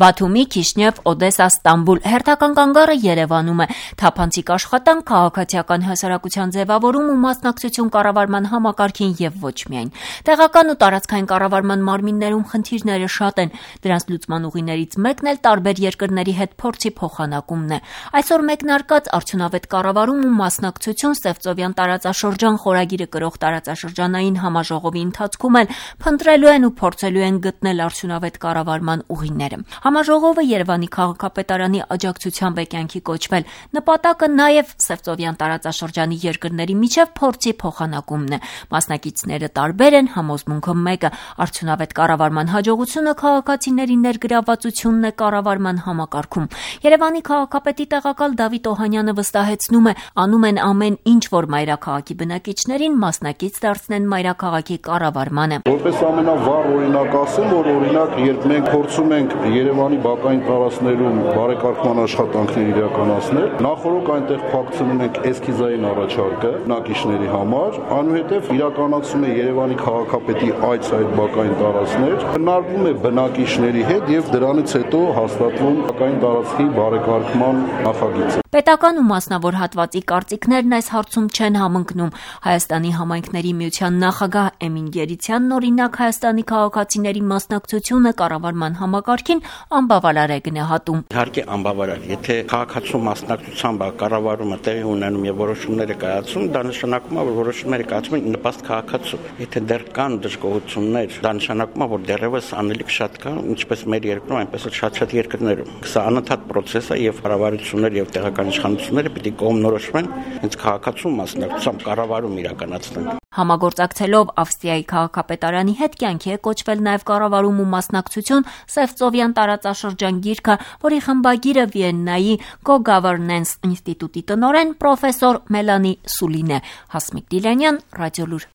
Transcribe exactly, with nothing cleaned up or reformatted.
Բաթումի, Քիշնև, Օդեսա, Ստամբուլ հերթական կանգառը Երևանում է։ Թափանցիկ աշխատանք, քաղաքացիական հասարակության ձևավորում ու մասնակցություն կառավարման համակարգին եւ ոչ միայն։ Տեղական ու տարածքային կառավարման մարմիններում խնդիրները շատ են։ Դրանց լուծման ուղիներից մեկն էլ տարբեր երկրների հետ փորձի փոխանակումն է։ Այսօր մեկնարկած արդյունավետ կառավարում ու մասնակցություն Սևծովյան տարածաշրջան խորագիրը կրող տարածաշրջանային համաժողովի ընթացքում էլ փնտրելու են ու փորձելու են գտնել արդյունավետ կառավարման ուղիները։ Համաժողովը Երևանի քաղաքապետարանի աջակցությամբ է կյանքի կոչվել։ Նպատակը նաև Սևծովյան տարածաշրջանի երկրների միջև փորձի փոխանակումն է։ Մասնակիցները տարբեր են, համոզմունքը մեկը՝ արդյունավետ կառավարման հաջողությունը քաղաքացիների ներգրավվածությունն է կառավարման համակարգում։ Երևանի քաղաքապետի տեղակալ Դավիթ Օհանյանը վստահեցնում է, անում են ամեն ինչ, որ մայրաքաղաքի բնակիչներին մասնակից դարձնեն մայրաքաղաքի կառավարմանը։ Որպես ամենավառ օրինակ ասեմ, որ օրինակ երբ մենք փորձում ենք Երևանի բակային տարածքներում բարեկարգման աշխատանքներ իրականացնել, նախորդ այնտեղ փակցնում ենք էսքիզային առաջարկը բնակիչների համար, այնուհետև իրականացում է Երևանի քաղաքապետի այց այդ բակային տարածքներ, քննարկվում է բնակիչների հետ եւ դրանից հետո հաստատվում բակային տարածքի բարեկարգման նախագիծը։ Պետական ու մասնավոր հատվածի կարծիքներն այս հարցում չեն համընկնում։ Հայաստանի համայնքների միության նախագահ Էմին Գերիցյանն օրինակ Հայաստանի քաղաքացիների մասնակցությունը կառավարման համակարգին անբավարար է գնահատում։ Իհարկե անբավարար, եթե քաղաքացու մասնակցությամբ կառավարումը տեղի ունենում եւ որոշումները կայացում, դա նշանակում է, որ որոշումները կայացում են նպաստ քաղաքացու։ Եթե դեռ կան դժգոհություններ, դա նշանակում է, որ դեռևս անելիք շատ կա, ինչպես մեր երկրում, այնպես էլ շատ-շատ երկրներում։ Սա անընդհատ process է եւ կառավարությունները եւ տեղական իշխանությունները պիտի կողմնորոշվեն հենց քաղաքացու մասնակցությամբ կառավարում իրականացնեն։ Համագործակցելով Ավստրիայի քաղաքապետարանի հետ կյանքի է կոչվել նաև կառավարում ու մասնակցություն Սևծովյան տարածաշրջան գիրքը, որի խմբագիրը Վիեննայի Go-Governance ինստիտուտի տնօրեն պրոֆեսոր Մելանի Սուլին է։ Հասմիկ Դիլյանյան, Ռադիոլուր։